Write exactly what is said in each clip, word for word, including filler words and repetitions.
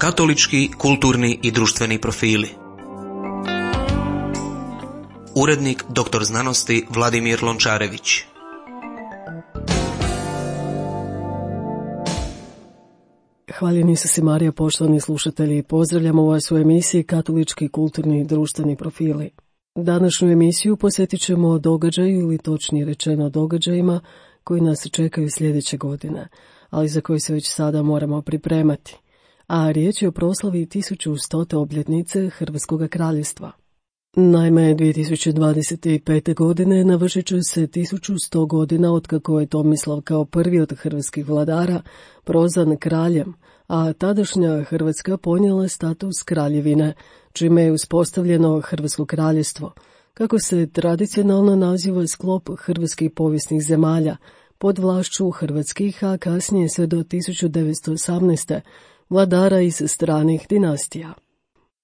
Katolički, kulturni i društveni profili. Urednik doktor znanosti Vladimir Lončarević. Hvaljeni Isuse Marija, poštovani slušatelji, pozdravljamo vas u emisiji Katolički, kulturni i društveni profili. Današnju emisiju posjetit ćemo događaju ili točnije rečeno događajima koji nas čekaju sljedeće godine, ali za koje se već sada moramo pripremati. A riječ je o proslavi tisuću stote obljetnice Hrvatskog kraljevstva. Naime, dvije tisuće dvadeset pete. godine navršit će se tisuću sto godina otkako je Tomislav kao prvi od hrvatskih vladara prozvan kraljem, a tadašnja Hrvatska ponijela status kraljevine, čime je uspostavljeno Hrvatsko kraljevstvo, kako se tradicionalno naziva sklop hrvatskih povijesnih zemalja, pod vlašću hrvatskih, a kasnije sve do tisuću devetsto osamnaeste. vladara iz stranih dinastija.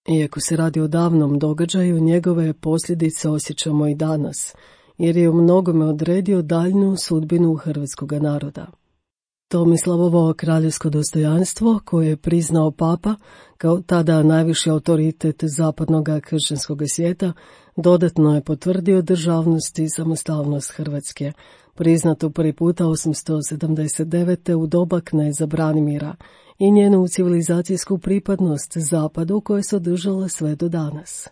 Iako se radi o davnom događaju, njegove posljedice osjećamo i danas, jer je u mnogome odredio daljnju sudbinu hrvatskog naroda. Tomislavovo kraljevsko dostojanstvo, koje je priznao papa kao tada najviši autoritet zapadnog kršćanskog svijeta, dodatno je potvrdio državnost i samostalnost Hrvatske, priznatu prvi puta osamsto sedamdeset devete. u doba kneza Branimira, i njenu civilizacijsku pripadnost zapadu koja se održala sve do danas.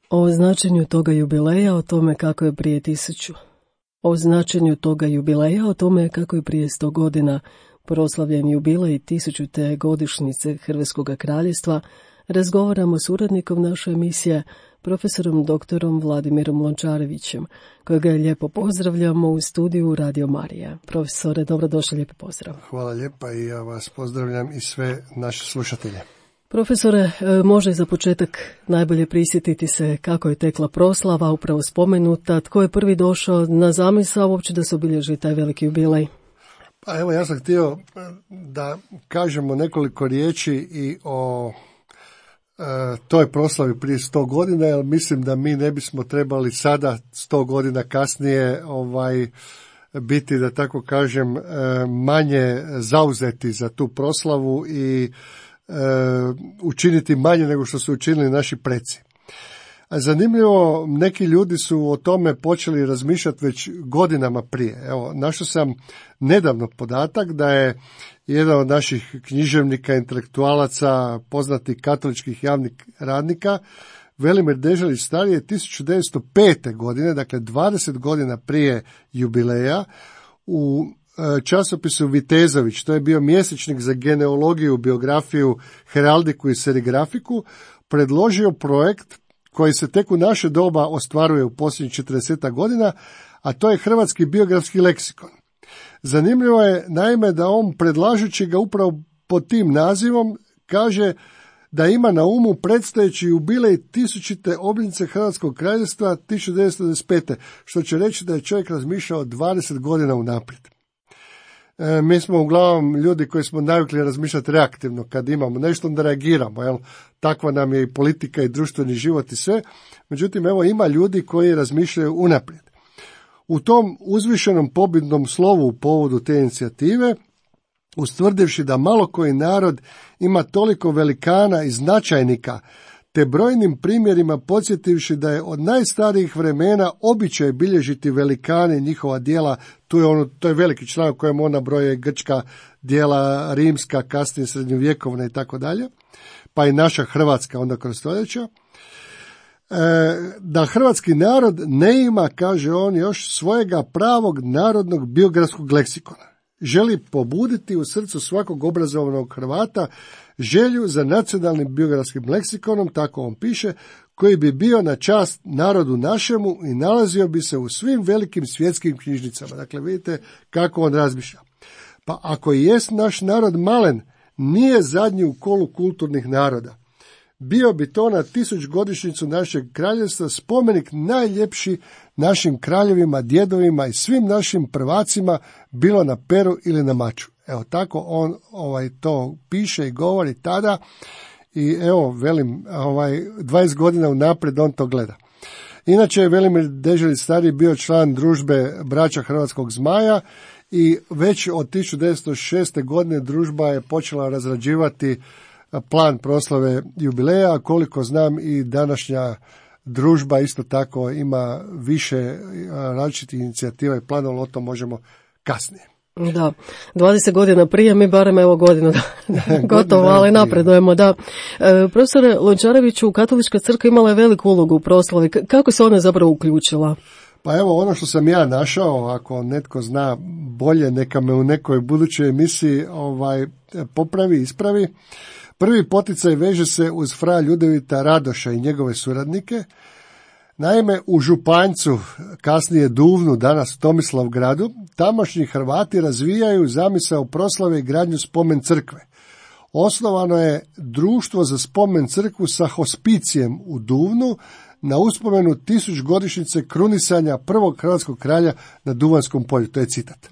O značenju toga jubileja, o tome kako je prije tisuću. O značenju toga jubileja, o tome kako je prije sto godina proslavljen jubilej tisućute godišnjice Hrvatskog kraljevstva, razgovaramo s urednikom naše emisije, profesorom doktorom Vladimirom Lončarevićem, kojega lijepo pozdravljamo u studiju Radio Marija. Profesore, dobrodošli, lijepi pozdrav. Hvala lijepa i ja vas pozdravljam i sve naše slušatelje. Profesore, može za početak najbolje prisjetiti se kako je tekla proslava, upravo spomenuta, tko je prvi došao na zamisao uopće da se obilježi taj veliki jubilej? Pa evo, ja sam htio da kažemo nekoliko riječi i o E, toj proslavi prije sto godina, jer mislim da mi ne bismo trebali sada sto godina kasnije ovaj biti, da tako kažem, e, manje zauzeti za tu proslavu i e, učiniti manje nego što su učinili naši preci. A zanimljivo, neki ljudi su o tome počeli razmišljati već godinama prije. Evo, našao sam nedavno podatak da je jedan od naših književnika, intelektualaca, poznatih katoličkih javnih radnika, Velimir Deželić stariji, je tisuću devetsto pete. godine, dakle dvadeset godina prije jubileja, u časopisu Vitezović, to je bio mjesečnik za genealogiju, biografiju, heraldiku i serigrafiku, predložio projekt koji se tek u naše doba ostvaruje u posljednjih četrdeset godina, a to je hrvatski biografski leksikon. Zanimljivo je naime da on, predlažući ga upravo pod tim nazivom, kaže da ima na umu predstojeći jubilej tisućite obljetnice Hrvatskog kraljevstva tisuću devetsto devedeset pete. što će reći da je čovjek razmišljao dvadeset godina unaprijed. E, mi smo uglavnom ljudi koji smo navikli razmišljati reaktivno, kad imamo nešto onda reagiramo, jel? Takva nam je i politika i društveni život i sve. Međutim, evo, ima ljudi koji razmišljaju unaprijed. U tom uzvišenom pobjednom slovu u povodu te inicijative, ustvrdivši da malo koji narod ima toliko velikana i značajnika, te brojnim primjerima podsjetivši da je od najstarijih vremena običaj bilježiti velikane i njihova djela, tu je ono, to je veliki članak kojem ona broje grčka djela, rimska, kasnije srednjovjekovna i tako dalje, pa i naša Hrvatska onda kroz stoljeća, da hrvatski narod ne ima, kaže on, još svojega pravog narodnog biografskog leksikona. Želi pobuditi u srcu svakog obrazovanog Hrvata želju za nacionalnim biografskim leksikonom, tako on piše, koji bi bio na čast narodu našemu i nalazio bi se u svim velikim svjetskim knjižnicama. Dakle, vidite kako on razmišlja. Pa ako i jest naš narod malen, nije zadnji u kolu kulturnih naroda. Bio bi to na tisućgodišnjicu našeg kraljevstva spomenik najljepši našim kraljevima, djedovima i svim našim prvacima, bilo na peru ili na maču. Evo, tako on ovaj to piše i govori tada i evo, velim, ovaj dvadeset godina unaprijed on to gleda. Inače je Velimir Deželić stariji bio član družbe braća Hrvatskog zmaja i već od tisuću devetsto šeste. godine družba je počela razrađivati plan proslave jubileja, koliko znam i današnja družba isto tako ima više različitih inicijativa i planova, o tom možemo kasnije. Da, dvadeset godina prije, mi barem evo godinu gotovo, ali napredujemo, da. E, profesore Lončareviću, Katolička crkva imala je veliku ulogu u proslavi. Kako se ona zapravo uključila? Pa evo, ono što sam ja našao, ako netko zna bolje, neka me u nekoj budućoj emisiji ovaj, popravi, ispravi. Prvi poticaj veže se uz fra Ljudevita Radoša i njegove suradnike. Naime, u Županjcu, kasnije Duvnu, danas Tomislavgradu, tamošnji Hrvati razvijaju zamisao proslave i gradnju spomen crkve. Osnovano je društvo za spomen crkvu sa hospicijem u Duvnu na uspomenu tisućgodišnjice krunisanja prvog hrvatskog kralja na Duvanjskom polju. To je citat.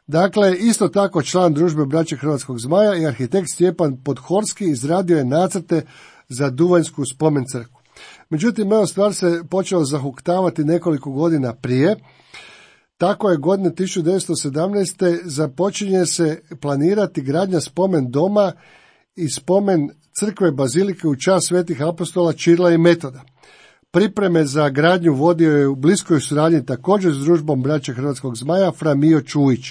Dakle, isto tako član družbe Braće Hrvatskog Zmaja i arhitekt Stjepan Podhorski izradio je nacrte za Duvanjsku spomen crkvu. Međutim, evo stvar se počela zahuktavati nekoliko godina prije. Tako je godine tisuću devetsto sedamnaeste. započinje se planirati gradnja spomen doma i spomen crkve bazilike u čast svetih apostola Čirila i Metoda. Pripreme za gradnju vodio je u bliskoj suradnji također s družbom Braće Hrvatskog Zmaja fra Mijo Čujić.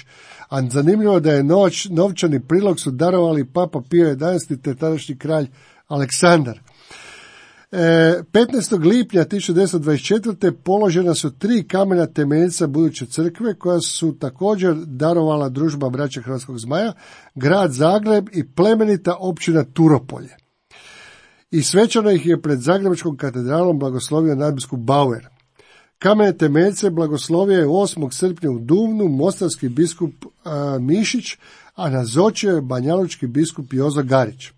A zanimljivo da je noć, novčani prilog su darovali Papa Pio jedanaesti te tadašnji kralj Aleksandar. petnaestog lipnja tisuću devetsto dvadeset četvrte. položena su tri kamena temeljca buduće crkve koja su također darovala družba Braće Hrvatskog Zmaja, grad Zagreb i plemenita općina Turopolje. I svečano ih je pred Zagrebačkom katedralom blagoslovio nadbiskup Bauer. Kamene temeljce blagoslovio je osmog srpnja u Duvnu mostarski biskup a, Mišić, a nazočio je banjalučki biskup Jozo Garić.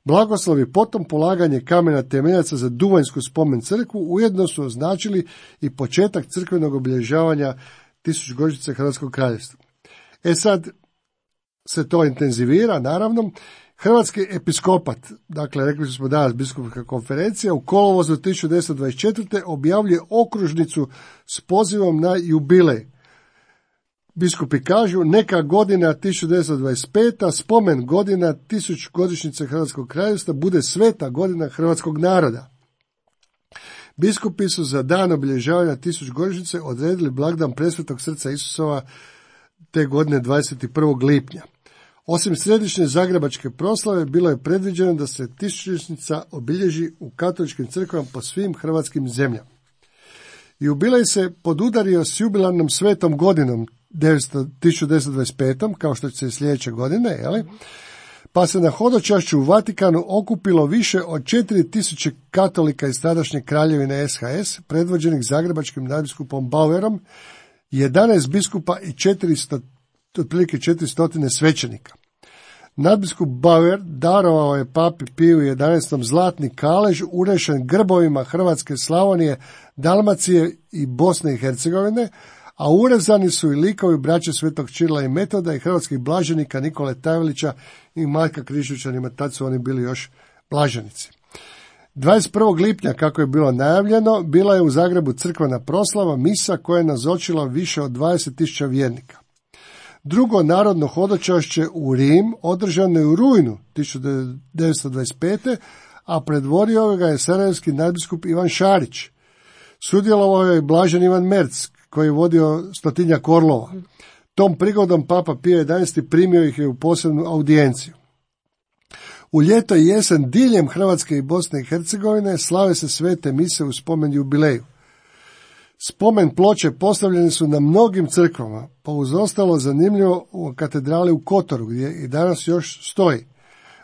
Blagoslovi potom polaganje kamena temeljaca za Duvanjsku spomen crkvu ujedno su označili i početak crkvenog obilježavanja tisućgodišnjice Hrvatskog kraljevstva. E sad se to intenzivira, naravno. Hrvatski episkopat, dakle rekli smo danas biskupska konferencija, u kolovozu tisuću devetsto dvadeset četvrte. objavljuje okružnicu s pozivom na jubilej. Biskupi kažu, neka godina tisuću devetsto dvadeset peta. spomen godina tisućgodišnjice Hrvatskog kraljevstva bude sveta godina hrvatskog naroda. Biskupi su za dan obilježavanja tisućgodišnjice odredili blagdan Presvetog srca Isusova te godine dvadeset prvog lipnja. Osim središnje zagrebačke proslave, bilo je predviđeno da se tisućgodišnjica obilježi u katoličkim crkvama po svim hrvatskim zemljama. Jubilej se podudario s jubilarnom svetom godinom tisuću devetsto dvadeset pete. kao što će se sljedeće godine, jeli? Pa se na hodočašću u Vatikanu okupilo više od četiri tisuće katolika iz tadašnje kraljevine S H S, predvođenih zagrebačkim nadbiskupom Bauerom, jedanaest biskupa i četiristo, otprilike četiristo svećenika. Nadbiskup Bauer darovao je papi Piju jedanaestom zlatni kalež urešen grbovima Hrvatske, Slavonije, Dalmacije i Bosne i Hercegovine, a urezani su i likovi braće Svetog Čirila i Metoda i hrvatskih blaženika Nikole Tajvelića i Marka Krišućanima, tad su oni bili još blaženici. dvadeset prvog lipnja, kako je bilo najavljeno, bila je u Zagrebu crkvena proslava, misa koja je nazočila više od dvadeset tisuća vjernika. Drugo narodno hodočašće u Rim održano je u rujnu tisuću devetsto dvadeset pete. a predvodio ga je sarajevski nadbiskup Ivan Šarić. Sudjelovao je blažen Ivan Merc, koji je vodio stotinjak orlova. Tom prigodom Papa Pio jedanaesti primio ih je u posebnu audijenciju. U ljeto i jesen diljem Hrvatske i Bosne i Hercegovine slave se svete mise u spomen jubileju. Spomen ploče postavljene su na mnogim crkvama, pa uz ostalo zanimljivo u katedrali u Kotoru, gdje i danas još stoji.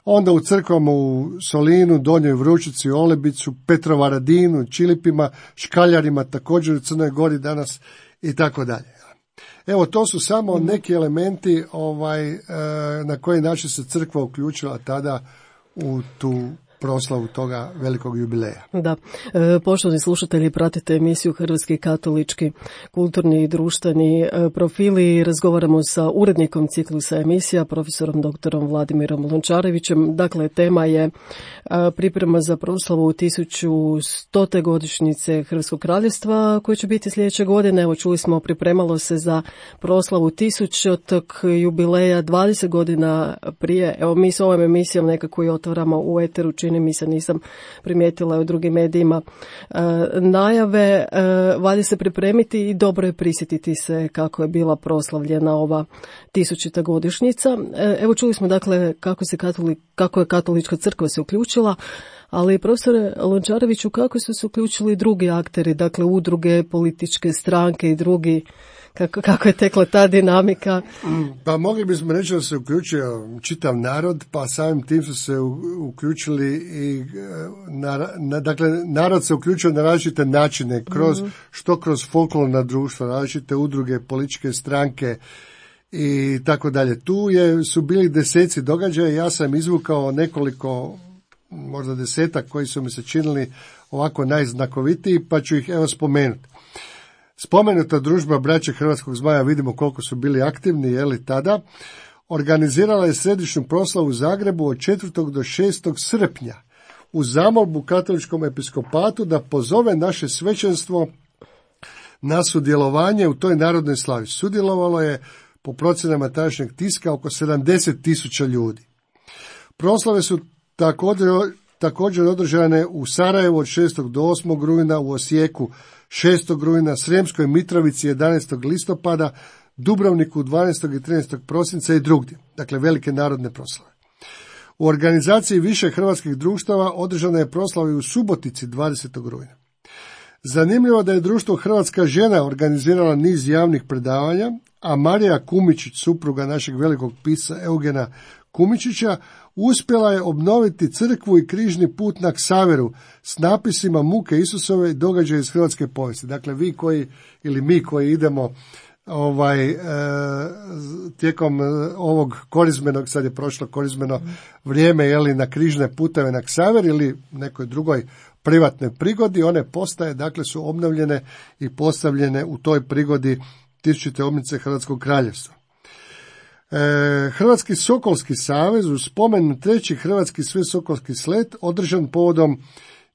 Onda u crkvama u Solinu, Donjoj Vručici, Olebicu, Petrovaradinu, Čilipima, Škaljarima, također u Crnoj Gori danas i tako dalje. Evo, to su samo neki elementi ovaj, na koji način se crkva uključila tada u tu proslavu toga velikog jubileja. Da. E, poštovani slušatelji, pratite emisiju Hrvatski katolički kulturni i društveni e, profili. Razgovaramo sa urednikom ciklusa emisija, profesorom doktorom Vladimirom Lončarevićem. Dakle, tema je e, priprema za proslavu tisuću stote godišnjice Hrvatskog kraljevstva, koje će biti sljedeće godine. Evo, čuli smo, pripremalo se za proslavu tisućotog jubileja dvadeset godina prije. Evo, mi s ovom emisijom nekako i otvaramo u eteru, čini mi se, nisam primijetila u drugim medijima e, najave, e, valja se pripremiti i dobro je prisjetiti se kako je bila proslavljena ova tisućita godišnjica. E, evo, čuli smo dakle kako se katolik, kako je katolička crkva se uključila, ali profesore Lončareviću, kako su se uključili drugi akteri, dakle udruge, političke stranke i drugi, kako, kako je tekla ta dinamika? Pa mogli bismo reći da se uključio čitav narod, pa samim tim su se uključili i na, na, dakle narod se uključio na različite načine, kroz, mm-hmm. što kroz folklorna društva, različite udruge, političke stranke i tako dalje. Tu je, su bili deseci događaja, ja sam izvukao nekoliko, možda desetak koji su mi se činili ovako najznakovitiji, pa ću ih evo spomenuti. Spomenuta družba Braće Hrvatskog zmaja, vidimo koliko su bili aktivni, jeli tada, organizirala je središnju proslavu u Zagrebu od četvrtog do šestog srpnja uz zamolbu katoličkom episkopatu da pozove naše svećenstvo na sudjelovanje u toj narodnoj slavi. Sudjelovalo je po procjenama tadašnjeg tiska oko sedamdeset tisuća ljudi. Proslave su također, također održane u Sarajevu od šestog do osmog rujna, u Osijeku šestog rujna, Sremskoj Mitrovici jedanaestog listopada, Dubrovniku dvanaestog i trinaestog prosinca i drugdje. Dakle, velike narodne proslave. U organizaciji više hrvatskih društava održana je proslava i u Subotici dvadesetog rujna. Zanimljivo da je društvo Hrvatska žena organizirala niz javnih predavanja, a Marija Kumičić, supruga našeg velikog pisca Eugena Kumičića, uspjela je obnoviti crkvu i križni put na Ksaveru s napisima muke Isusove i događaje iz hrvatske povijesti. Dakle, vi koji, ili mi koji idemo ovaj, e, tijekom ovog korizmenog, sad je prošlo korizmeno vrijeme, jeli, na križne puteve na Ksaver ili nekoj drugoj privatnoj prigodi, one postaje, dakle, su obnovljene i postavljene u toj prigodi tisućite obljetnice Hrvatskog kraljevstva. E, Hrvatski Sokolski savez u spomen treći Hrvatski svesokolski slet održan povodom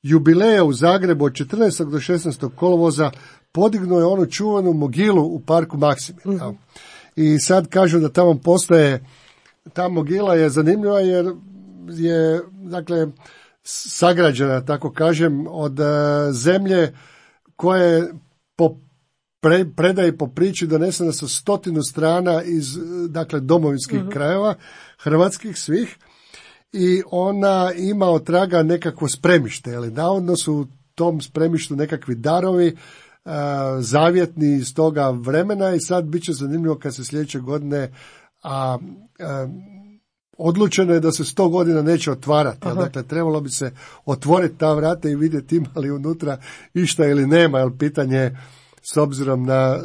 jubileja u Zagrebu od četrnaestog do šesnaestog kolovoza podignuo je onu čuvanu mogilu u parku Maksimir. Mm-hmm. I sad kažu da tamo postaje, ta mogila je zanimljiva jer je, dakle, sagrađena, tako kažem, od uh, zemlje koje po pre, predaje po priči donesena sa stotinu strana iz, dakle, domovinskih mm-hmm. krajeva, hrvatskih svih, i ona ima od traga nekakvo spremište, ali navodno su u tom spremištu nekakvi darovi uh, zavjetni iz toga vremena i sad bit će zanimljivo kad se sljedeće godine a, a odlučeno je da se sto godina neće otvarati. Jel, dakle, trebalo bi se otvoriti ta vrata i vidjeti ima li unutra išta ili nema, jer pitanje je, s obzirom na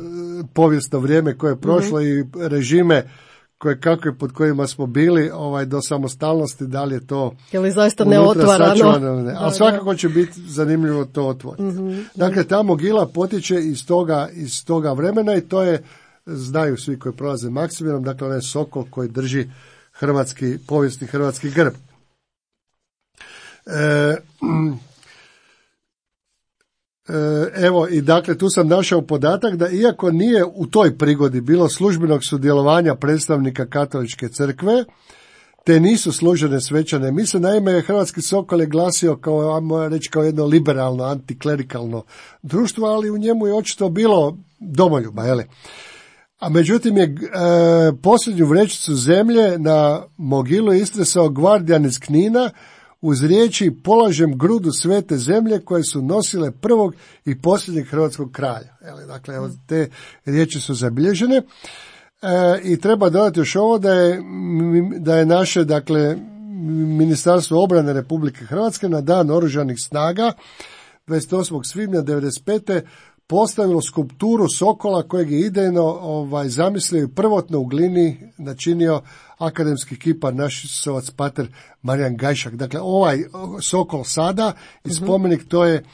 povijesno vrijeme koje je prošlo mm-hmm. i režime koje kakve pod kojima smo bili ovaj, do samostalnosti, da li je to je li zaista neotvarano? Ne. Ali svakako će biti zanimljivo to otvoriti. Mm-hmm. Dakle, ta mogila potječe iz toga, iz toga vremena i to je, znaju svi koji prolaze Maksimirom, dakle onaj sokol koji drži hrvatski, povijesni hrvatski grb. E, Evo, i dakle tu sam našao podatak da iako nije u toj prigodi bilo službenog sudjelovanja predstavnika katoličke crkve, te nisu služene svečane mise, naime Hrvatski Sokol je glasio kao, ajmo reći, kao jedno liberalno, antiklerikalno društvo, ali u njemu je očito bilo domoljuba, jeli? A međutim je e, posljednju vrećicu zemlje na mogilu istresao gvardijan iz Knina, uz riječi polažem grudu svete zemlje koje su nosile prvog i posljednjeg hrvatskog kralja. Dakle, evo, te riječi su zabilježene. E, I treba dodati još ovo da je, da je naše, dakle, Ministarstvo obrane Republike Hrvatske na dan Oružanih snaga dvadeset osmog svibnja devedeset pete postavilo skulpturu sokola kojeg je idejno ovaj, zamislio i prvotno u glini načinio akademski kipar našisovac pater Marijan Gajšak. Dakle, ovaj sokol sada i spomenik to je,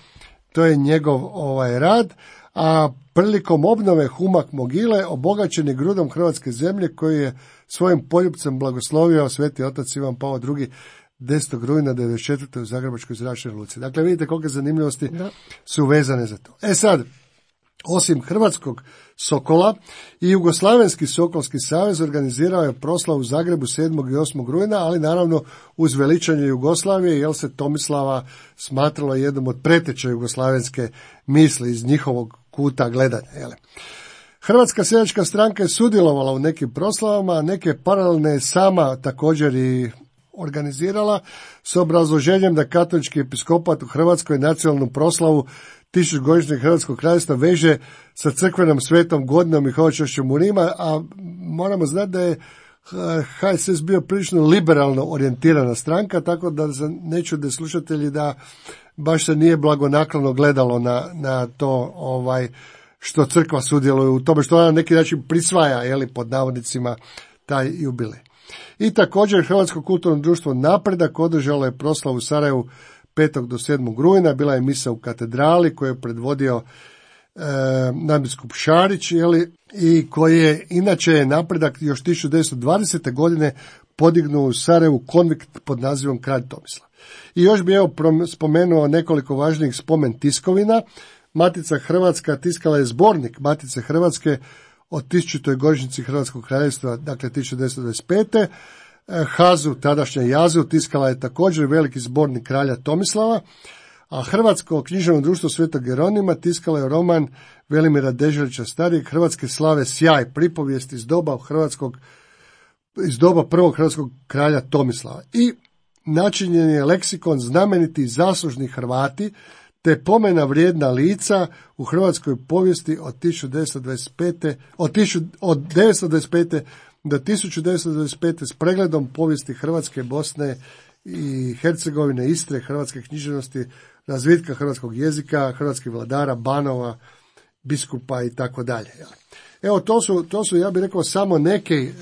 to je njegov ovaj rad, a prilikom obnove humak mogile obogaćen je grudom hrvatske zemlje koji je svojim poljupcem blagoslovio sveti otac Ivan Pavao drugi desetog rujna devedeset četvrte u Zagrebačkoj zračnoj luci. Dakle, vidite kolike zanimljivosti da. su vezane za to. E sad, osim hrvatskog sokola, i Jugoslavenski sokolski savez organizirao je proslavu u Zagrebu sedmog i osmog rujna, ali naravno uz veličanje Jugoslavije, jer se Tomislava smatralo jednom od preteča jugoslavenske misli iz njihovog kuta gledanja. Jele. Hrvatska seljačka stranka je sudjelovala u nekim proslavama, a neke paralelne je sama također i organizirala s obrazloženjem da katolički episkopat u Hrvatskoj nacionalnu proslavu tisućgodišnjeg Hrvatskog kraljevstva veže sa crkvenom svetom godinom i hoćešćom u Rima, a moramo znati da je H S S bio prilično liberalno orijentirana stranka, tako da ne čude slušatelji da baš se nije blagonaklono gledalo na, na to ovaj što crkva sudjeluje u tome, što ona na neki način prisvaja, jeli, pod navodnicima, taj jubilej. I također Hrvatsko kulturno društvo Napredak održalo je proslavu u Sarajevu petog do sedmog rujna, bila je misa u katedrali koju je predvodio e, nadbiskup Šarić, jeli, i koji je inače Napredak još tisuću devetsto dvadesete godine podignuo u Sarajevu konvikt pod nazivom Kralj Tomislav. I još bi evo spomenuo nekoliko važnijih spomen tiskovina. Matica Hrvatska tiskala je zbornik Matice Hrvatske o tisućitoj godišnjici Hrvatskog kraljevstva, dakle tisuću devetsto dvadeset pete. Hazu, tadašnja Jazu, tiskala je također veliki zbornik kralja Tomislava, a Hrvatsko književno društvo Svetog Jeronima tiskalo je roman Velimira Deželića starijeg Hrvatske slave sjaj, pripovijest iz doba hrvatskog, iz doba prvog hrvatskog kralja Tomislava. I načinjen je leksikon znameniti zaslužni Hrvati, te pomena vrijedna lica u hrvatskoj povijesti od tisuću devetsto dvadeset pete, od, tisuću, od devetsto dvadeset pete do tisuću devetsto dvadeset pete s pregledom povijesti Hrvatske, Bosne i Hercegovine, Istre, hrvatske književnosti, razvitka hrvatskog jezika, hrvatskih vladara, banova, biskupa i tako dalje. Evo, to su, to su, ja bih rekao, samo neke,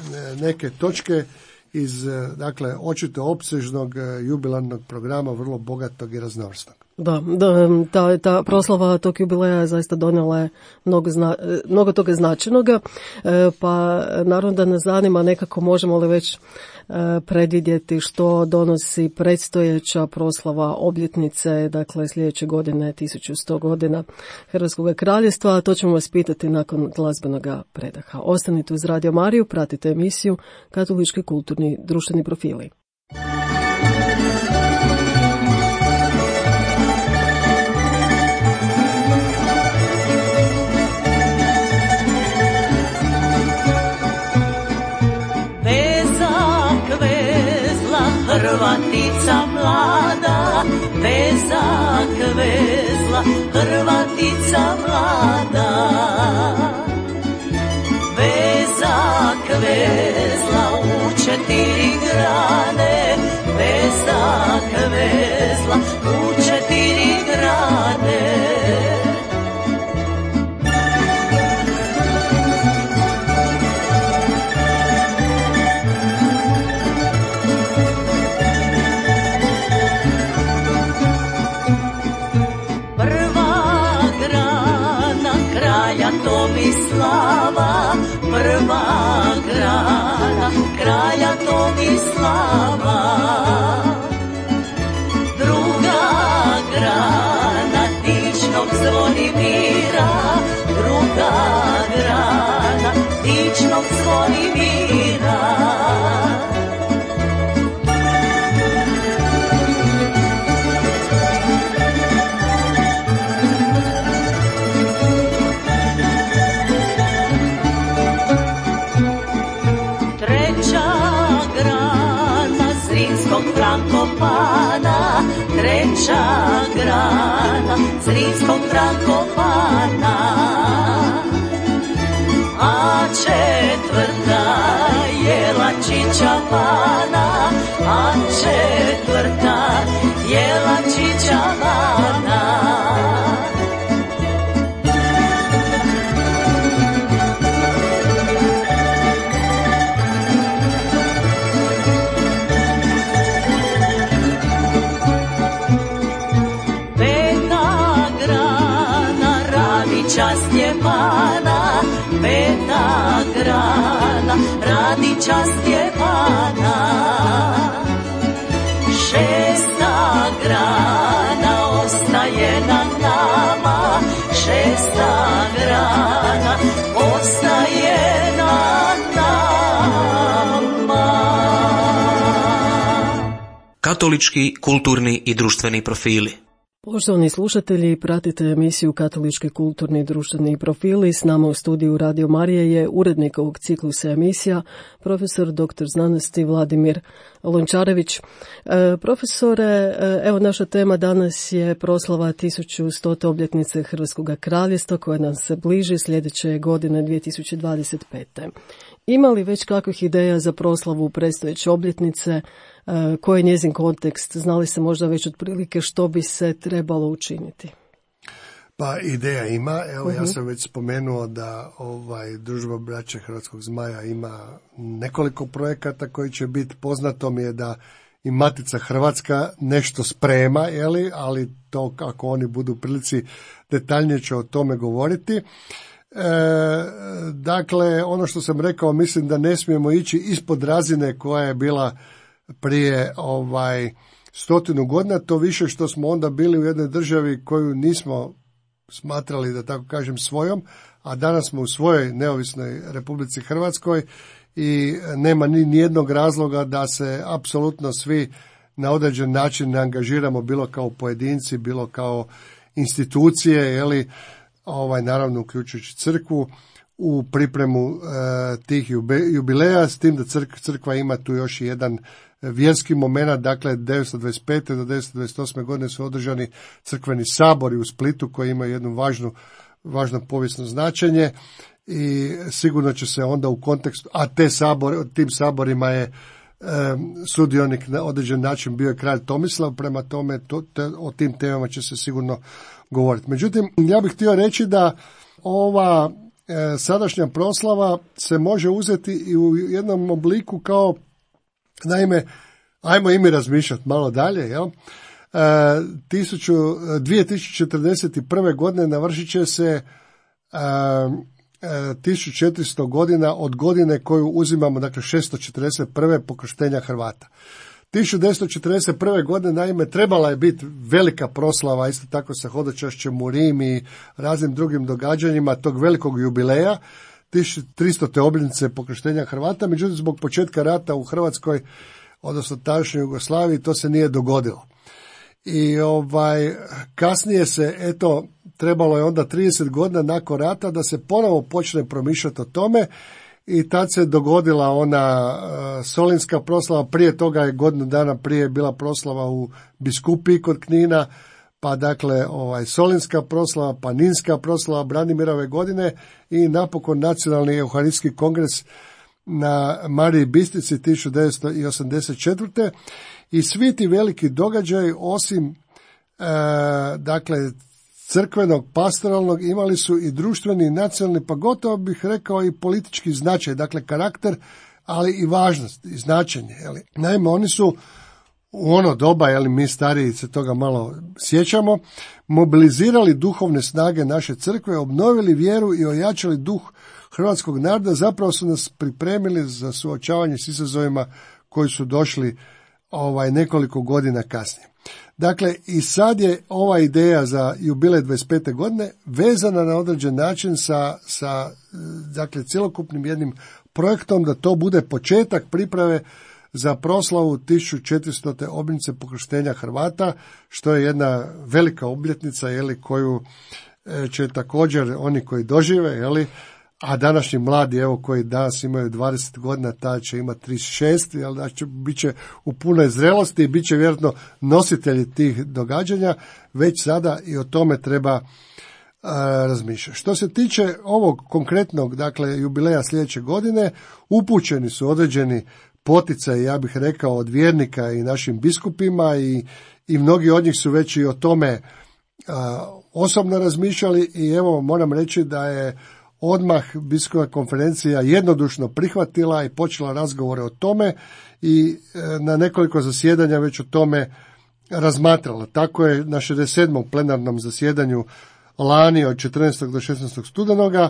neke točke iz, dakle, očito opsežnog jubilarnog programa, vrlo bogatog i raznovrsnog. Da, da ta, ta proslava tog jubileja je zaista donijela je mnogo, zna, mnogo toga značajnoga, pa naravno da nas zanima nekako možemo li već predvidjeti što donosi predstojeća proslava obljetnice, dakle sljedeće godine tisuću sto godina Hrvatskog kraljevstva, a to ćemo vas pitati nakon glazbenog predaha. Ostanite uz Radio Mariju, pratite emisiju Katolički kulturni društveni profili. Hrvatica mlada, vezak vezla, Hrvatica mlada. Vezak vezla u četiri grane, vezak vezla u četiri grane. Tomislava, prva grana kralja Tomislava. Druga grana dičnog Zvonimira, druga grana dičnog Zvonimira. Frankopana, treća grana Zrinskog Frankopana, a četvrta je Lačića Vana, a četvrta je Lačića Vana. Stjepana, Radića Stjepana. Šesta grana ostaje na nama, šesta grana ostaje na nama. Katolički, kulturni i društveni profili. Poštovani slušatelji, pratite emisiju Katolički, kulturni i društveni profili. S nama u studiju Radio Marije je urednik ovog ciklusa emisija, profesor doktor znanosti Vladimir Lončarević. E, profesore, evo naša tema danas je proslava tisuću stote obljetnice Hrvatskog kraljevstva koja nam se bliži sljedeće godine dvije tisuće dvadeset pete. Ima li već kakvih ideja za proslavu predstojeće obljetnice? Koji je njezin kontekst? Znali se možda već otprilike što bi se trebalo učiniti? Pa ideja ima. Evo uh-huh. ja sam već spomenuo da ovaj Družba braće Hrvatskog zmaja ima nekoliko projekata koji će biti. Poznato mi je da i Matica Hrvatska nešto sprema, jeli, ali to kako oni budu u prilici detaljnije će o tome govoriti. E, dakle, ono što sam rekao, mislim da ne smijemo ići ispod razine koja je bila prije ovaj stotinu godina, to više što smo onda bili u jednoj državi koju nismo smatrali, da tako kažem, svojom, a danas smo u svojoj neovisnoj Republici Hrvatskoj i nema ni nijednog razloga da se apsolutno svi na određen način ne angažiramo, bilo kao pojedinci, bilo kao institucije, jeli, ovaj, naravno uključujući crkvu, u pripremu e, tih jubileja, s tim da crk, crkva ima tu još i jedan vjerski moment. Dakle, devetsto dvadeset pete do devetsto dvadeset osme godine su održani crkveni sabori u Splitu koji imaju jednu važnu, važno povijesno značenje i sigurno će se onda u kontekstu, a te sabor, tim saborima je e, sudionik na određen način bio je kralj Tomislav, prema tome to, te, o tim temama će se sigurno govoriti. Međutim, ja bih htio reći da ova e, sadašnja proslava se može uzeti i u jednom obliku kao, naime, ajmo i mi razmišljati malo dalje, jel? E, dvije tisuće četrdeset prve godine navršit će se e, e, tisuću četiristo godina od godine koju uzimamo, dakle šesto četrdeset prve pokrštenja Hrvata. tisuću devetsto četrdeset prve godine, naime, trebala je biti velika proslava, isto tako sa hodočašćem u Rim i raznim drugim događanjima tog velikog jubileja, tisuću tristote obljetnice pokrštenja Hrvata, međutim zbog početka rata u Hrvatskoj, odnosno tadašnjoj Jugoslaviji, to se nije dogodilo. I ovaj kasnije se, eto, trebalo je onda trideset godina nakon rata da se ponovo počne promišljati o tome i tad se dogodila ona uh, solinska proslava. Prije toga je godinu dana prije bila proslava u Biskupiji kod Knina, pa dakle ovaj solinska proslava, pa ninska proslava Branimirove godine i napokon Nacionalni euharistijski kongres na Mariji Bistrici tisuću devetsto osamdeset četvrte i svi ti veliki događaji osim e, dakle crkvenog, pastoralnog, imali su i društveni, i nacionalni, pa gotovo bih rekao i politički značaj, dakle karakter, ali i važnost i značenje. Jeli. Naime, oni su u ono doba, jeli, mi stariji se toga malo sjećamo, mobilizirali duhovne snage naše crkve, obnovili vjeru i ojačali duh hrvatskog naroda, zapravo su nas pripremili za suočavanje s izazovima koji su došli ovaj nekoliko godina kasnije. Dakle, i sad je ova ideja za jubilej dvadeset pete godine vezana na određen način sa, sa dakle, cjelokupnim jednim projektom da to bude početak priprave za proslavu tisuću četiristote obljetnice pokrštenja Hrvata, što je jedna velika obljetnica, jeli, koju će također oni koji dožive, jeli, a današnji mladi, evo, koji danas imaju dvadeset godina, ta će imati trideset šest, jel, znači bit će u punoj zrelosti i bit će vjerojatno nositelji tih događanja, već sada i o tome treba a, razmišljati. Što se tiče ovog konkretnog, dakle, jubileja sljedeće godine, upućeni su određeni poticaj, ja bih rekao, od vjernika i našim biskupima i, i mnogi od njih su već i o tome a, osobno razmišljali i evo moram reći da je odmah biskupska konferencija jednodušno prihvatila i počela razgovore o tome i e, na nekoliko zasjedanja već o tome razmatrala. Tako je na šezdeset sedmom plenarnom zasjedanju lani od četrnaestog do šesnaestog studenoga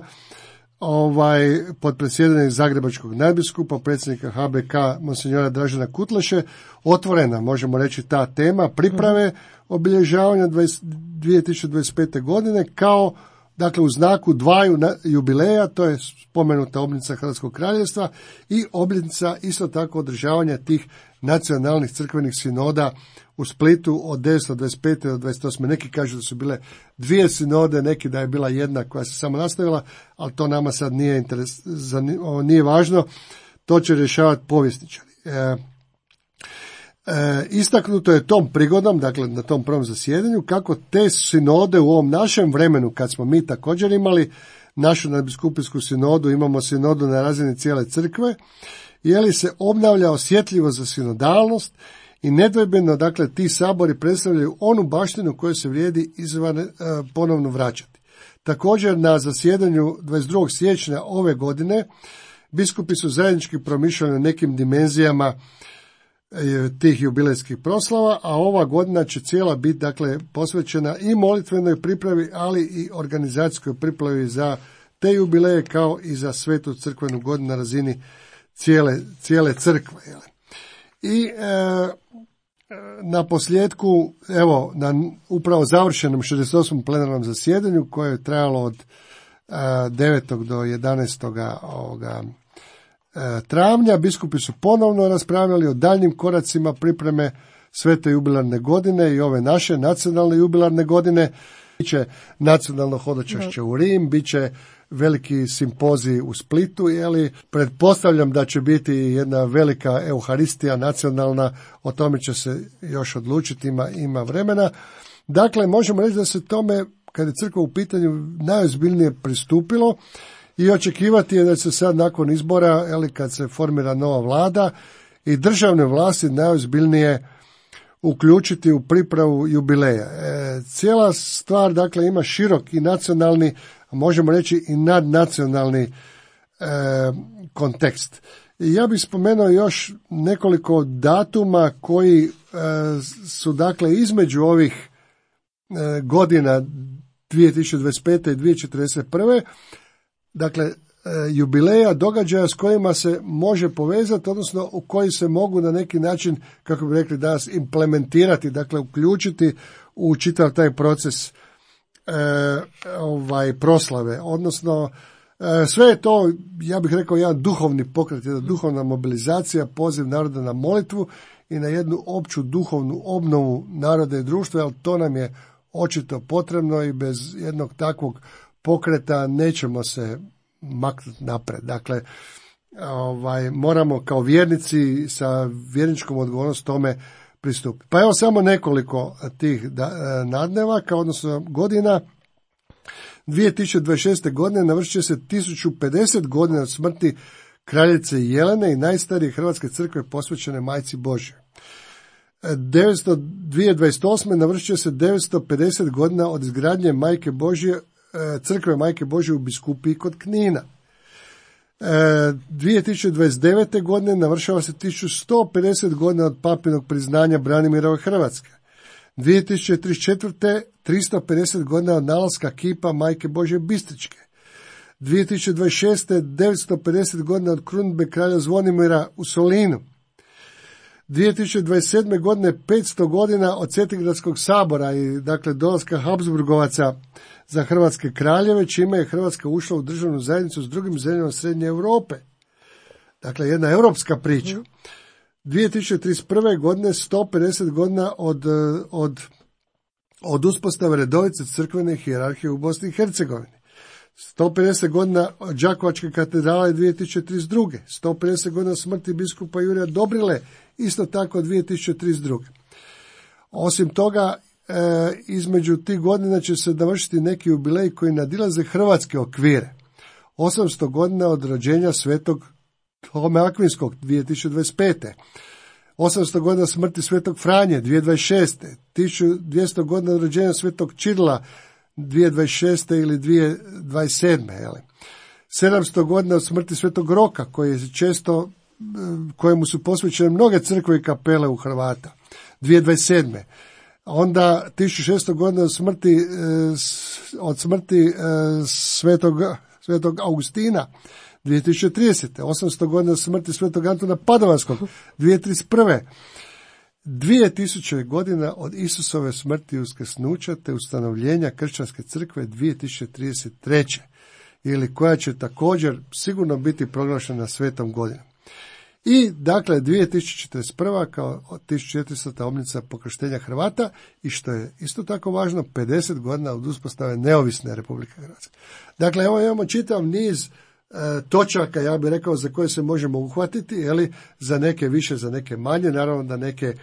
ovaj, pod predsjedanjem Zagrebačkog nadbiskupa, predsjednika H B K, monsinjora Dražena Kutleše, otvorena, možemo reći, ta tema priprave obilježavanja dvije tisuće dvadeset pete. godine kao, dakle, u znaku dvaju jubileja, to je spomenuta obljetnica Hrvatskog kraljevstva i obljetnica isto tako održavanja tih nacionalnih crkvenih sinoda u Splitu od devetsto dvadeset pete. do dvadeset osme. Neki kažu da su bile dvije sinode, neki da je bila jedna koja se samo nastavila, ali to nama sad nije, interes, nije važno, to će rješavati povjesničari. E, e, istaknuto je tom prigodom, dakle na tom prvom zasjedanju, kako te sinode u ovom našem vremenu, kad smo mi također imali našu nadbiskupijsku sinodu, imamo sinodu na razini cijele crkve, je li se obnavlja osjetljivo za sinodalnost i nedvojbeno, dakle, ti sabori predstavljaju onu baštinu koju se vrijedi izvan e, ponovno vraćati. Također, na zasjedanju dvadeset drugog siječnja ove godine biskupi su zajednički promišljali o nekim dimenzijama e, tih jubilejskih proslava, a ova godina će cijela biti, dakle, posvećena i molitvenoj pripravi, ali i organizacijskoj pripravi za te jubileje, kao i za svetu crkvenu godinu na razini cijele, cijele crkve. Jel? I e, na posljedku, evo, na upravo završenom šezdeset osmom plenarnom zasjedanju, koje je trajalo od e, devetog do jedanaestog ovoga, e, travnja, biskupi su ponovno raspravljali o daljnjim koracima pripreme svete jubilarne godine i ove naše nacionalne jubilarne godine. Biće nacionalno hodočašće u Rim, bit će veliki simpozij u Splitu, jeli, pretpostavljam da će biti jedna velika euharistija nacionalna, o tome će se još odlučiti, ima, ima vremena. Dakle, možemo reći da se tome, kad je crkva u pitanju, najozbiljnije pristupilo i očekivati je da se sad nakon izbora, jeli, kad se formira nova vlada i državne vlasti najozbiljnije uključiti u pripravu jubileja. E, cijela stvar, dakle, ima širok i nacionalni, možemo reći i nadnacionalni e, kontekst. I ja bih spomenuo još nekoliko datuma koji e, su, dakle, između ovih e, godina dvije tisuće dvadeset pete. i dvije tisuće četrdeset prve. Dakle, e, jubileja, događaja s kojima se može povezati, odnosno u koji se mogu na neki način, kako bi rekli danas, implementirati, dakle uključiti u čitav taj proces E, ovaj proslave, odnosno e, sve je to, ja bih rekao, jedan duhovni pokret, jedna duhovna mobilizacija, poziv naroda na molitvu i na jednu opću duhovnu obnovu naroda i društva, jer to nam je očito potrebno i bez jednog takvog pokreta nećemo se maknuti napred. Dakle, ovaj, moramo kao vjernici sa vjerničkom odgovornost tome pristupiti. Pa evo samo nekoliko tih nadnevaka, odnosno godina. dvije tisuće dvadeset šeste. godine navršit će se tisuću pedeset godina od smrti kraljice Jelene i najstarije hrvatske crkve posvećene Majci Božjoj. dvije tisuće dvadeset osme. navršit će se devetsto pedeset godina od izgradnje Majke Božje, crkve Majke Božje u Biskupiji kod Knina. dvije tisuće dvadeset devete. godine navršava se tisuću sto pedeset godina od papinog priznanja Branimirove Hrvatske. dvije tisuće trideset četvrte. tristo pedeset godina od nalaska kipa Majke Božje Bistričke. dvije tisuće dvadeset šeste. devetsto pedeset godina od krunidbe kralja Zvonimira u Solinu. dvije tisuće dvadeset sedme. godine petsto godina od Cetingradskog sabora i, dakle, dolaska Habsburgovaca za hrvatske kraljeve, čime je Hrvatska ušla u državnu zajednicu s drugim zemljama Srednje Europe. Dakle, jedna europska priča. dvije tisuće trideset prve. godine sto pedeset godina od, od, od uspostave redovice crkvene hijerarhije u Bosni i Hercegovini. sto pedeset godina od Đakovačke katedrale dvije tisuće trideset druge. sto pedeset godina smrti biskupa Jurija Dobrile, isto tako dvije tisuće trideset druge. Osim toga, e, između tih godina će se navršiti neki jubilej koji nadilaze hrvatske okvire. osamsto godina od rođenja svetog Tome Akvinskog dvije tisuće dvadeset pete. osamsto godina smrti svetog Franje dvije tisuće dvadeset šeste. tisuću dvjesto godina od rođenja svetog Čirila dvije tisuće dvadeset šeste ili dvije tisuće dvadeset sedme. Jeli. sedamsto godina od smrti svetog Roka, koji je često, kojemu su posvećene mnoge crkve i kapele u Hrvata, dvije tisuće dvadeset sedme. Onda tisuću šesto godina od smrti, od smrti svetog svetog Augustina, dvije tisuće tridesete. osamsto godina smrti svetog Antuna Padovanskog, dvije tisuće trideset prve. dvije tisuće godina od Isusove smrti i uskrsnuća te ustanovljenja kršćanske crkve dvije tisuće trideset treće. ili koja će također sigurno biti proglašena svetom godinom. I dakle dvije tisuće četrdeset prva. kao tisuću četiristote. obljetnica pokrštenja Hrvata i što je isto tako važno pedeset godina od uspostave neovisne Republike Hrvatske. Dakle, evo imamo čitav niz e, točaka, ja bih rekao, za koje se možemo uhvatiti, jeli, za neke više, za neke manje. Naravno da neke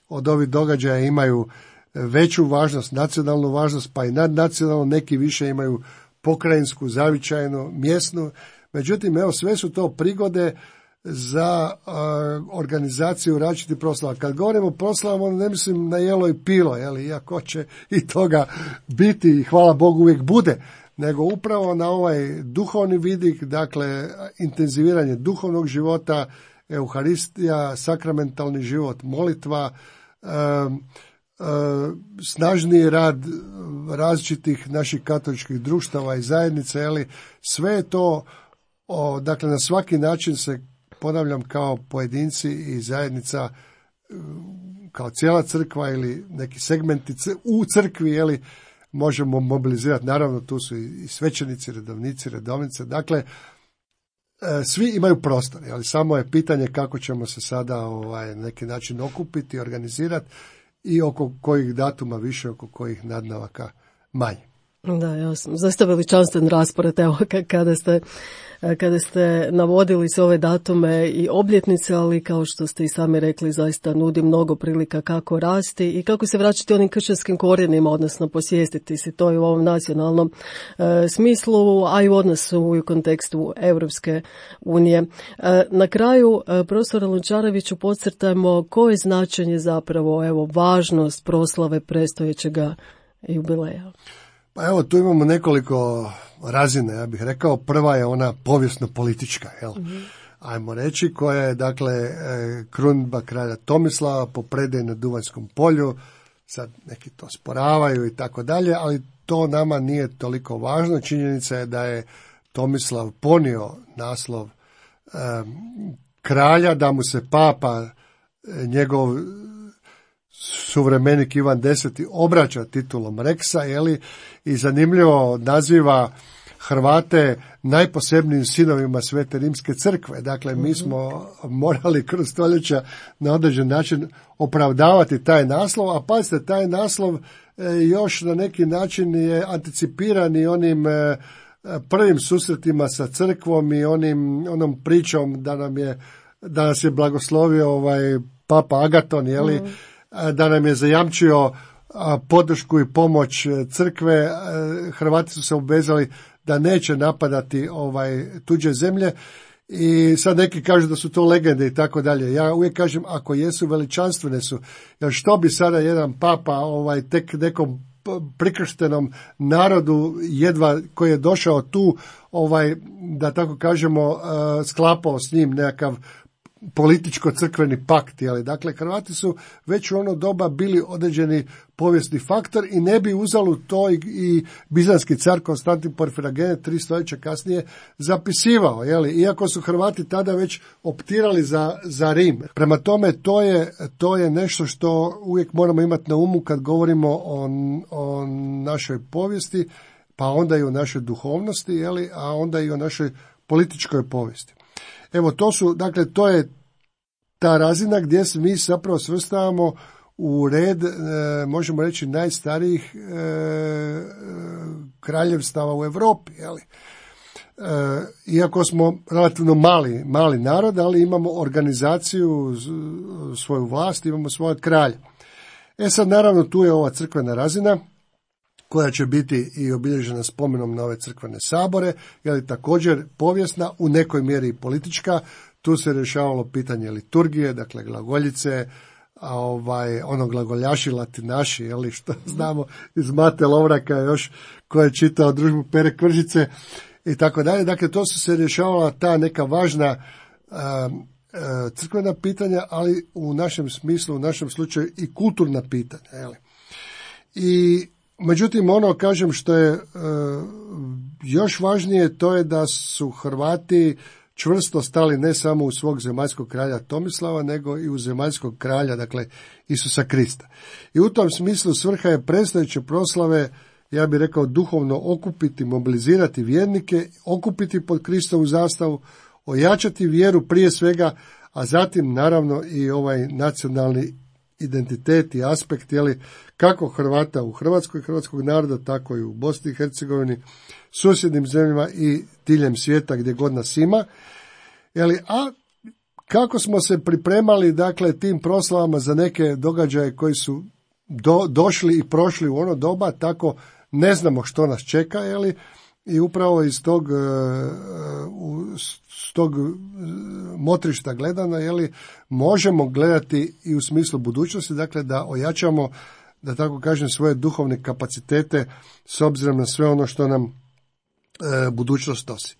od ovih događaja imaju veću važnost, nacionalnu važnost, pa i nadnacionalnu, neki više imaju pokrajinsku, zavičajnu, mjesnu. Međutim, evo, sve su to prigode za uh, organizaciju različitih proslava. Kad govorimo o proslavama, onda ne mislim na jelo i pilo, jeli, iako će i toga biti i hvala Bogu uvijek bude, nego upravo na ovaj duhovni vidik, dakle, intenziviranje duhovnog života, euharistija, sakramentalni život, molitva, uh, uh, snažniji rad različitih naših katoličkih društava i zajednica, jeli, sve je to, o, dakle, na svaki način se, ponavljam, kao pojedinci i zajednica, kao cijela crkva ili neki segmenti u crkvi, jeli, možemo mobilizirati. Naravno, tu su i svećenici, redovnici, redovnice. Dakle, svi imaju prostor, ali samo je pitanje kako ćemo se sada ovaj, na neki način okupiti, organizirati i oko kojih datuma više, oko kojih nadnavaka manje. Da, jasno. Zaista veličanstven raspored, evo, kada ste, kada ste navodili sve ove datume i obljetnice, ali kao što ste i sami rekli, zaista nudi mnogo prilika kako rasti i kako se vraćati onim kršćanskim korijenima, odnosno posvijestiti se to i u ovom nacionalnom e, smislu, a i u odnosu i u kontekstu Europske unije. E, na kraju, e, profesora Lončareviću, podcrtajmo koje je značenje zapravo, evo, važnost proslave predstojećega jubileja. Pa evo, tu imamo nekoliko razine, ja bih rekao. Prva je ona povijesno-politička, jel? Mm-hmm. Ajmo reći, koja je, dakle, krunidba kralja Tomislava po predaji na Duvanjskom polju. Sad neki to sporavaju i tako dalje, ali to nama nije toliko važno. Činjenica je da je Tomislav ponio naslov eh, kralja, da mu se papa, njegov suvremenik Ivan Deseti obraća titulom Reksa, jeli, i zanimljivo naziva Hrvate najposebnijim sinovima Svete Rimske crkve. Dakle, mi smo morali kroz stoljeća na određen način opravdavati taj naslov, a pazite, taj naslov još na neki način je anticipiran i onim prvim susretima sa crkvom i onim, onom pričom da nam je, da nas je blagoslovio ovaj Papa Agaton, jeli, mm. da nam je zajamčio podršku i pomoć crkve. Hrvati su se obvezali da neće napadati ovaj tuđe zemlje i sad neki kažu da su to legende i tako dalje. Ja uvijek kažem, ako jesu, veličanstvene su. Jer što bi sada jedan papa ovaj tek nekom prikrštenom narodu jedva koji je došao tu, ovaj, da tako kažemo, sklapao s njim nekakav političko-crkveni pakt, ali dakle Hrvati su već u ono doba bili određeni povijesni faktor i ne bi uzalud to i, i bizanski car Konstantin Porfirogene tri stoljeća kasnije zapisivao, jeli, iako su Hrvati tada već optirali za, za Rim. Prema tome, to je, to je nešto što uvijek moramo imati na umu kad govorimo o, o našoj povijesti, pa onda i o našoj duhovnosti, jeli, a onda i o našoj političkoj povijesti. Evo, to su, dakle, to je ta razina gdje se mi zapravo svrstavamo u red, e, možemo reći, najstarijih e, kraljevstava u Europi, jeli. E, iako smo relativno mali, mali narod, ali imamo organizaciju, svoju vlast, imamo svoje kralje. E sad, naravno, tu je ova crkvena razina, koja će biti i obilježena spomenom na ove crkvene sabore, je također povijesna, u nekoj mjeri i politička. Tu se rješavalo pitanje liturgije, dakle glagoljice, a ovaj, ono glagoljaši latinaši, jeli, što znamo iz Mate Lovraka još, ko je čitao Družbu Pere Kvržice i tako dalje. Dakle, to su se rješavala ta neka važna a, a, crkvena pitanja, ali u našem smislu, u našem slučaju i kulturna pitanja, jeli. I međutim, ono, kažem, što je e, još važnije to je da su Hrvati čvrsto stali ne samo u svog zemaljskog kralja Tomislava, nego i u zemaljskog kralja, dakle Isusa Krista. I u tom smislu svrha je predstojeće proslave, ja bih rekao, duhovno okupiti, mobilizirati vjernike, okupiti pod Kristovu zastavu, ojačati vjeru prije svega, a zatim naravno i ovaj nacionalni identitet i aspekt, jeli, kako Hrvata u Hrvatskoj, hrvatskog naroda, tako i u Bosni i Hercegovini, susjednim zemljama i diljem svijeta gdje god nas ima. Jeli, a kako smo se pripremali, dakle, tim proslavama za neke događaje koji su do, došli i prošli u ono doba, tako ne znamo što nas čeka, jeli, i upravo iz tog, uh, s tog motrišta gledana, jeli, možemo gledati i u smislu budućnosti, dakle da ojačamo, da tako kažem, svoje duhovne kapacitete s obzirom na sve ono što nam e, budućnost nosi.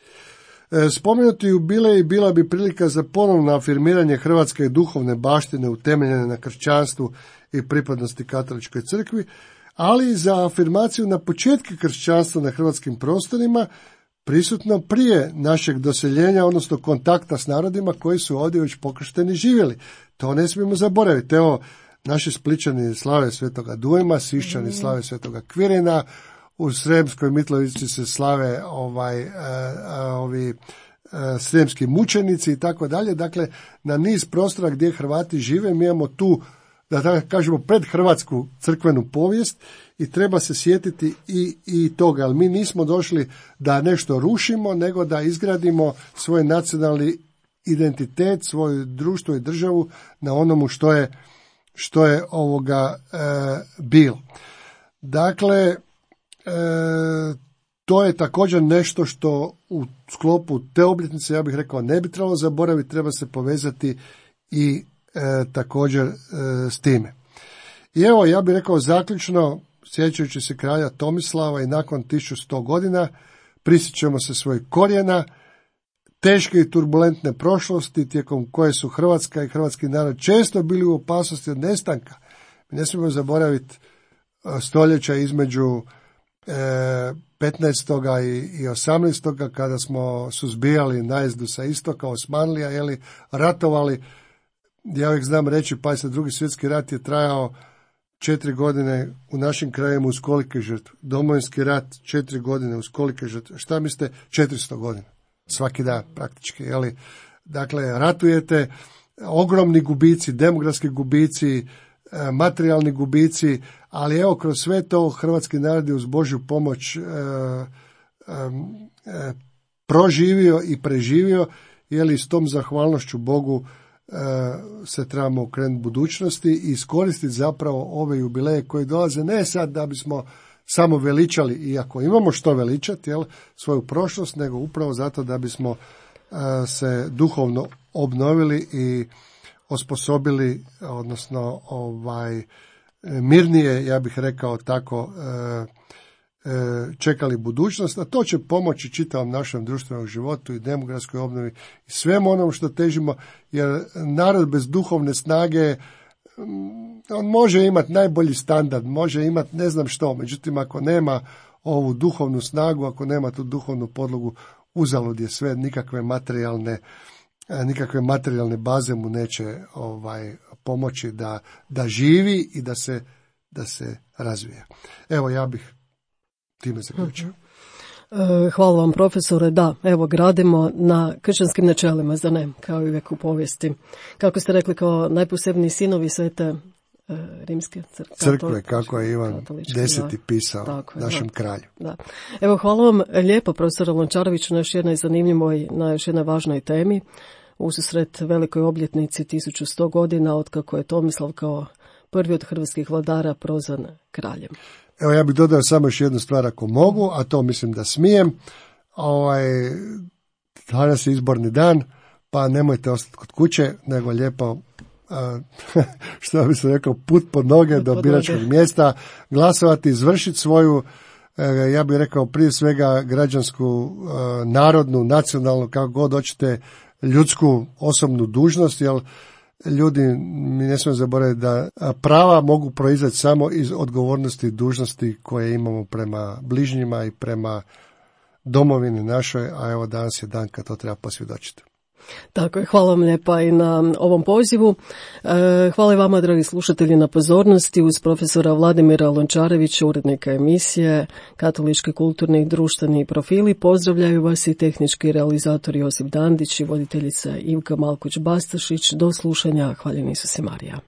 E, spomenuti jubilej i bila bi prilika za ponovno afirmiranje hrvatske duhovne baštine utemeljene na kršćanstvu i pripadnosti katoličkoj crkvi, ali i za afirmaciju na početku kršćanstva na hrvatskim prostorima, prisutno prije našeg doseljenja, odnosno kontakta s narodima koji su ovdje već pokršteni živjeli. To ne smijemo zaboraviti. Evo, naši Splićani slave Svetoga Dujma, Sišćani slave Svetoga Kvirina, u Sremskoj Mitrovici se slave ovaj, a, a, ovi a, sremski mučenici i tako dalje. Dakle, na niz prostora gdje Hrvati žive, mi imamo tu, da tako kažemo, predhrvatsku crkvenu povijest i treba se sjetiti i, i toga. Ali mi nismo došli da nešto rušimo, nego da izgradimo svoj nacionalni identitet, svoje društvo i državu na onomu što je, što je ovoga e, bilo. Dakle, e, to je također nešto što u sklopu te obljetnice, ja bih rekao, ne bi trebalo zaboraviti, treba se povezati i E, također e, s time. I evo, ja bih rekao zaključno, sjećajući se kralja Tomislava i nakon tisuću sto godina, prisjećamo se svojih korijena, teške i turbulentne prošlosti tijekom koje su Hrvatska i hrvatski narod često bili u opasnosti od nestanka. Mi ne smijemo zaboraviti stoljeća između e, petnaestog i osamnaestog kada smo suzbijali najezdu sa istoka, Osmanlija, jeli, ratovali. Ja uvijek znam reći, pa se drugi svjetski rat je trajao četiri godine u našim krajima uz kolike žrtve. Domovinski rat četiri godine uz kolike žrtve. Šta mislite? četiristo godina. Svaki dan praktički. Jeli? Dakle, ratujete, ogromni gubici, demografski gubici, materijalni gubici, ali evo kroz sve to hrvatski narod je uz Božju pomoć e, e, e, proživio i preživio, jeli, s tom zahvalnošću Bogu se trebamo okrenuti budućnosti i iskoristiti zapravo ove jubileje koje dolaze, ne sad da bismo samo veličali, iako imamo što veličati, jel, svoju prošlost, nego upravo zato da bismo uh, se duhovno obnovili i osposobili, odnosno ovaj mirnije, ja bih rekao tako, uh, čekali budućnost, a to će pomoći čitavom našem društvenom životu i demografskoj obnovi i svemu onom što težimo, jer narod bez duhovne snage, on može imati najbolji standard, može imati ne znam što, međutim ako nema ovu duhovnu snagu, ako nema tu duhovnu podlogu, uzalud je sve, nikakve materijalne nikakve materijalne baze mu neće ovaj pomoći da, da živi i da se, da se razvija. Evo, ja bih time zaključio. Hvala vam, profesore. Da, evo, gradimo na kršćanskim načelima, za ne, kao i uvijek u povijesti. Kako ste rekli, kao najposebniji sinovi svete e, rimske crkve. Crkve, kako je Ivan deseti pisao tako, našem da, kralju. Da. Evo, hvala vam lijepo, profesore Lončareviću, na još jednoj zanimljivoj, na još jednoj važnoj temi, ususret velikoj obljetnici tisuću sto godina, otkako je Tomislav kao prvi od hrvatskih vladara prozvan kraljem. Evo, ja bih dodao samo još jednu stvar ako mogu, a to mislim da smijem. Ovaj, danas je izborni dan, pa nemojte ostati kod kuće, nego lijepo, a, što bi se rekao, put pod noge do biračkog mjesta, glasovati, izvršiti svoju, ja bih rekao, prije svega građansku, narodnu, nacionalnu, kako god hoćete, ljudsku osobnu dužnost, jer ljudi, mi ne smijemo zaboraviti da prava mogu proizaći samo iz odgovornosti i dužnosti koje imamo prema bližnjima i prema domovini našoj, a evo danas je dan kad to treba posvjedočiti. Tako je, hvala vam lijepa i na ovom pozivu. Hvala i vama, dragi slušatelji, na pozornosti. Uz profesora Vladimira Lončarevića, urednika emisije Katolički kulturni i društveni profili, pozdravljaju vas i tehnički realizator Josip Dandić i voditeljica Ivka Malkuć-Bastašić. Do slušanja, hvaljen Isus i Marija.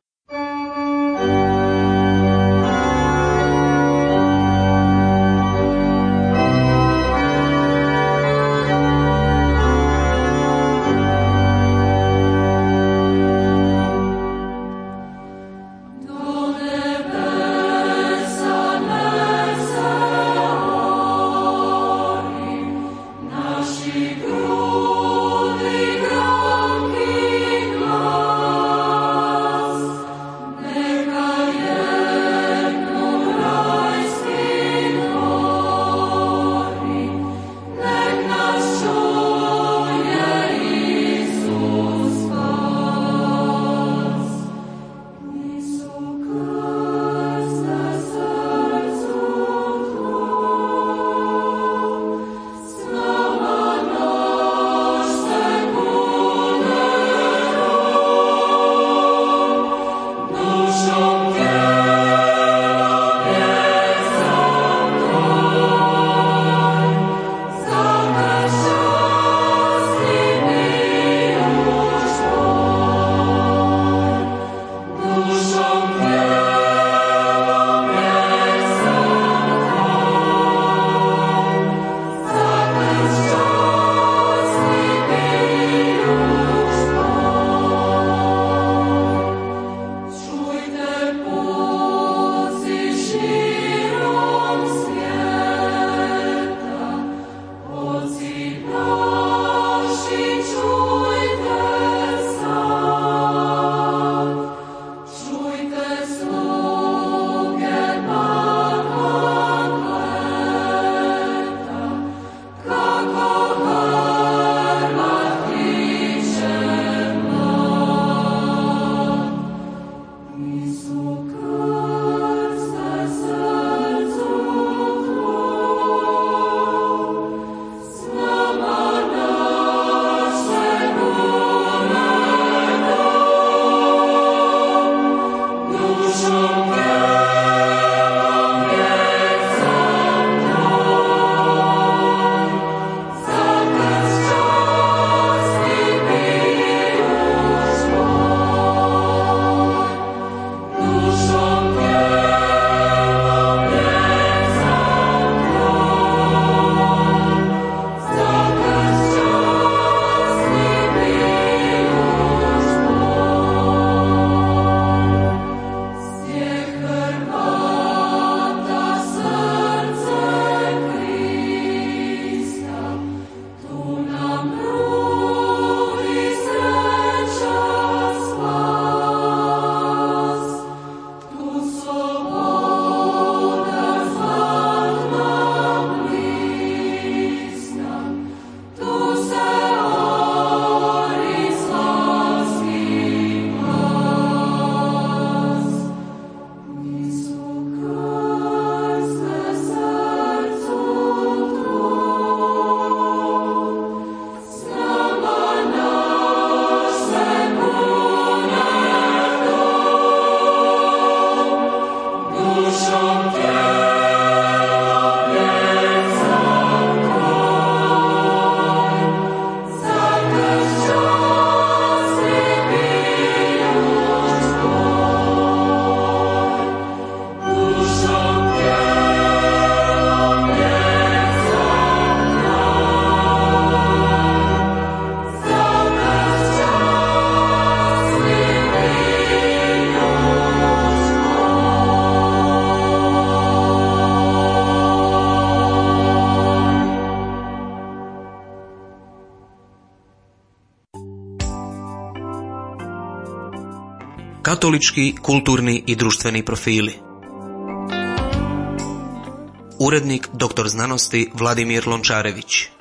Katolički kulturni i društveni profili. Urednik doktor znanosti Vladimir Lončarević.